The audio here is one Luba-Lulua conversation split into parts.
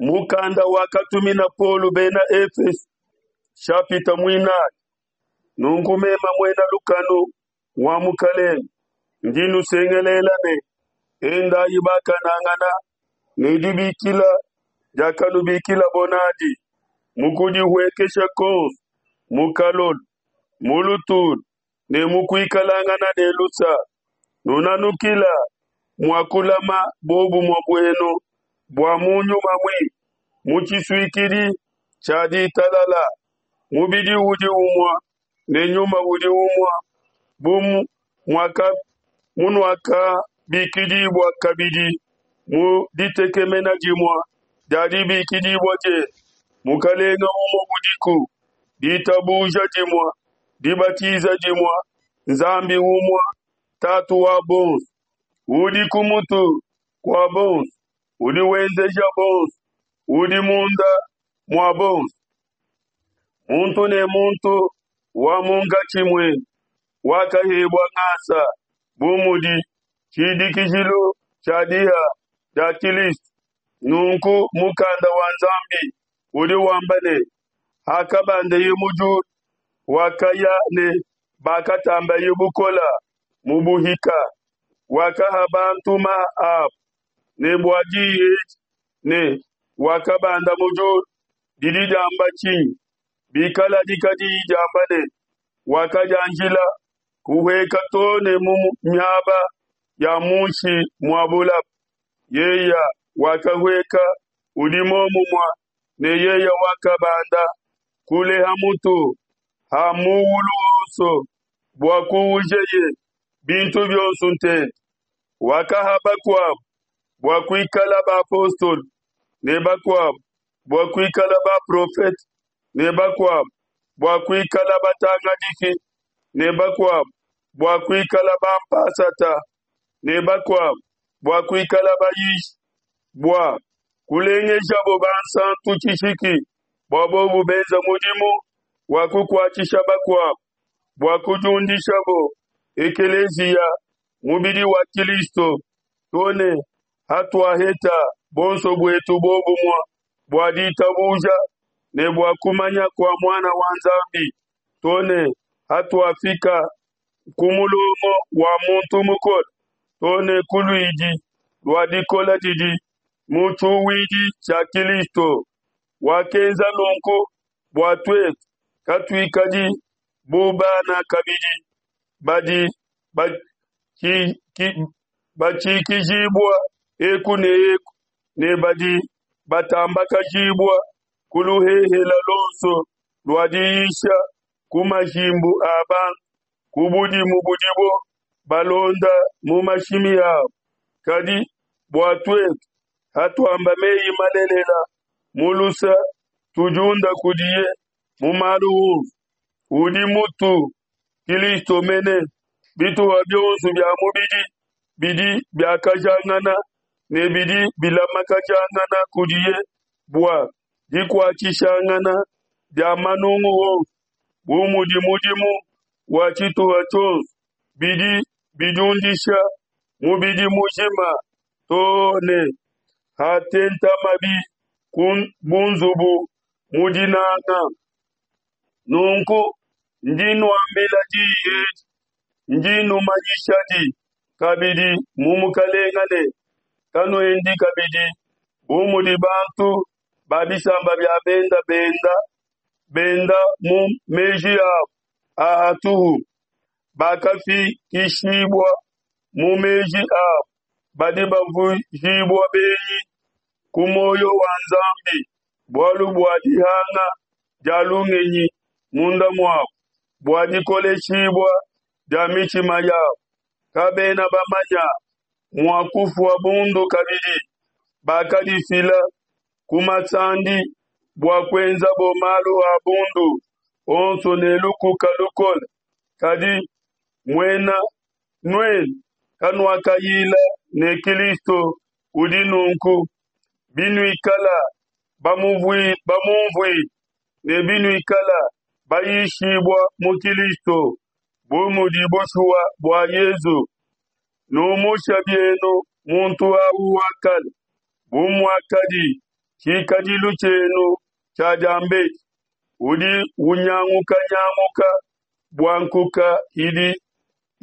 Mukanda wakatumina Paulo bena Efeso, shapita muinayi. Nunku meme muena lukanu wa Mukalenge, ndi nusengelela ne, endayi bakanangana ne dibikila diakanubikilabo nadi, mu kudihuekesha kuonso, mu kalolo, mu lutulu ne mu kuikalangana ne lusa, nunanukila mua kulama buobumue buenu bua mu nyuma muimpe mu tshisuikidi tshia ditalala. Mubidi udi umue ne nyuma udi umue, bu munuakabikidibua kabidi mu ditekemena dimue dia dibikidibua dienu. Mukalenge umue udiku, ditabuja dimue, dibatiza dimue, Nzambi umue, Tatu wa bonso, udi ku mutu kua bonso, udi wenzeja bonso, udi munda mua bonso. Muntu ne muntu wa munkatshi muenu wakahebua ngasa bu mudi tshidikijilu tshia diha dia Kilisto. Nunku mukanda wa Nzambi udi wamba ne, Hakabandeye mu diulu, wakaya ne bakatambaye bukole mu buhika, wakaha bantu maha abo. Ne bua diyi edi ne, Wakabanda mu diulu, didi diamba tshinyi? Bikaladi kadiyi diamba ne, Wakadianjila kuhueka to ne mu miaba ya munshi mua bulaba, yeye wakahueka udi muomumue ne yeye wakabanda kule ha mutu ha muulu wonso bua kuujeye bintu bionso ntente. Wakaha bakuabo bua kuikala bapostolo, ne bakuabo bua kuikala baprofete, ne bakuabo bua kuikala batangadiki, ne bakuabo bua kuikala bampasata, ne bakuabo bua kuikala bayishi, bua kulengejabo bansantu tshishiki, bua bobu benza mudimu wa kukuatshisha bakuabo, bua kudiundishabo ekeleziya, mubidi wa Kilisto, to ne hatuaheta bonso buetu bobumue bua ditabuja ne bua kumanya kua Muana wa Nzambi, to ne hatuafika ku mulongo wa muntu mukole, to ne ku luidi lua dikola didi mu tshiuwidi tshia Kilisto. Wakenza nunku bua tuetu katuikadi bu bana kabidi badi batshikijibua eku ne eku ne badi batambakajibua ku luhehela luonso lua diyisha ku majimbu a bantu, ku budimu budibo balonda mu mashimi abo. Kadi bua tuetu, hatuamba meyi malelela mu lusa, tudiunda kudiye mu malu onso, udi mutu, Kilisto mene. Bituha bionso bia mubidi bidi biakajangana ne bidi bilamakajangana kudiye bua dikuatshishangana dia manungu onso, bu mudi mudimu wa tshituha tshionso, bidi bidiundisha mubidi mujima too ne hatentamabi bu nzubu mu dinanga. Nunku ndi nuambila diyi edi, ndi numanyishadi kabidi mu Mukalenga ne, kanuendi kabidi bu mudi bantu ba bisamba bia benda benda, benda mu meji abu a hatuhu, bakafikishibua mu meji abu, badi bavuijibua benyi ku muoyo wa Nzambi bualu bua dihanga dia lungenyi munda muabo, bua dikoleshibua dia mitshima yabo. Kabena bamanya mua kufua bundu kabidi, bakadifila ku masandi bua kuenzabo malu a bundu onso ne lukuka lukole. Kadi muena nuenu kanuakayila ne Kilisto udi nunku, binuikala bamumvuile ne binuikala bayishibua mu Kilisto, bu mudi bushuwa bua Yezu. Numusha bienu muntu au wa kale, bu muakadi. tshikadilu tshienu tshia diambedi, udi unyangukanyanguka bua nkuka idi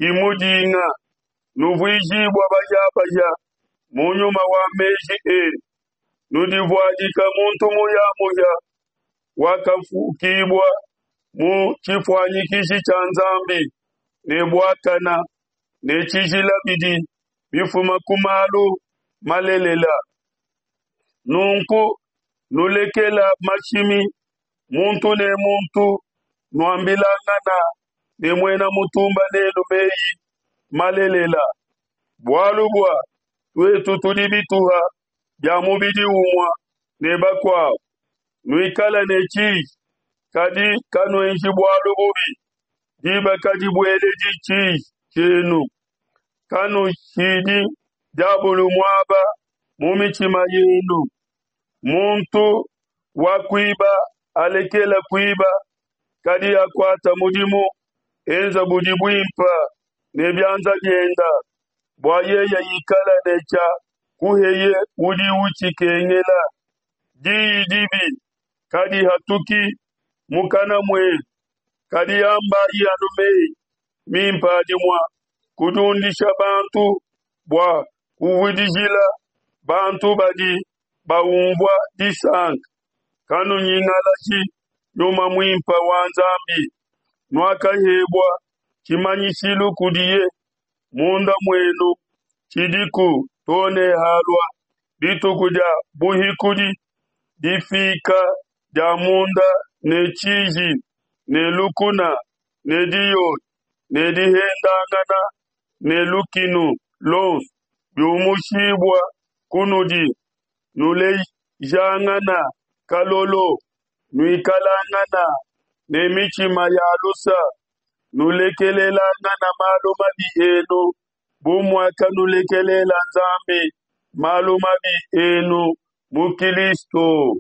imudinga, nuvuijibua bahiabahia mu nyuma wa meji enu, nudivuadika muntu muhiamuhia wakafukibua mu tshifuanyikishi tshia Nzambi ne buakana ne tshijila bidi bifuma ku malu malelela. Nunku nulekela mashimi muntu ne muntu, nuambilangana ne muena mutumba nenu meyi malelela, bualu bua tuetu tudi bituha bia mubidi umue ne bakuabo. Nuikale ne tshiji, kadi kanuenji bualu bubi, diba kadibueledi tshiji tshienu. Kanushidi diabolo muaba mu mitshima yenu. Muntu wa kuiba alekela kuiba, kadi akuata mudimu, enza budi buimpa ne bianza bienda, bua yeye ikala ne tshia kuheye udi utshikengela. Diyi dibi kadihatuki mukana muenu, kadi ambayi anu meyi mimpe adi mua kudiundisha bantu bua kuvudijila bantu badi baumvua disanka. Kanunyingalaji Nyuma Muimpe wa Nzambi, nuakahebua tshimanyishilu kudiye munda muenu tshidiku to ne halua dituku dia buhikudi. Difika dia munda ne tshiji ne lukuna ne diyoyi ne dihendangana ne lukinu luonso biumushibua kunudi, nulejangana kalolo, nuikalangana ne mitshima ya lusa, nulekelelangana malu mabi enu, bu muakanulekelela Nzambi malu mabi enu mu Kilisto.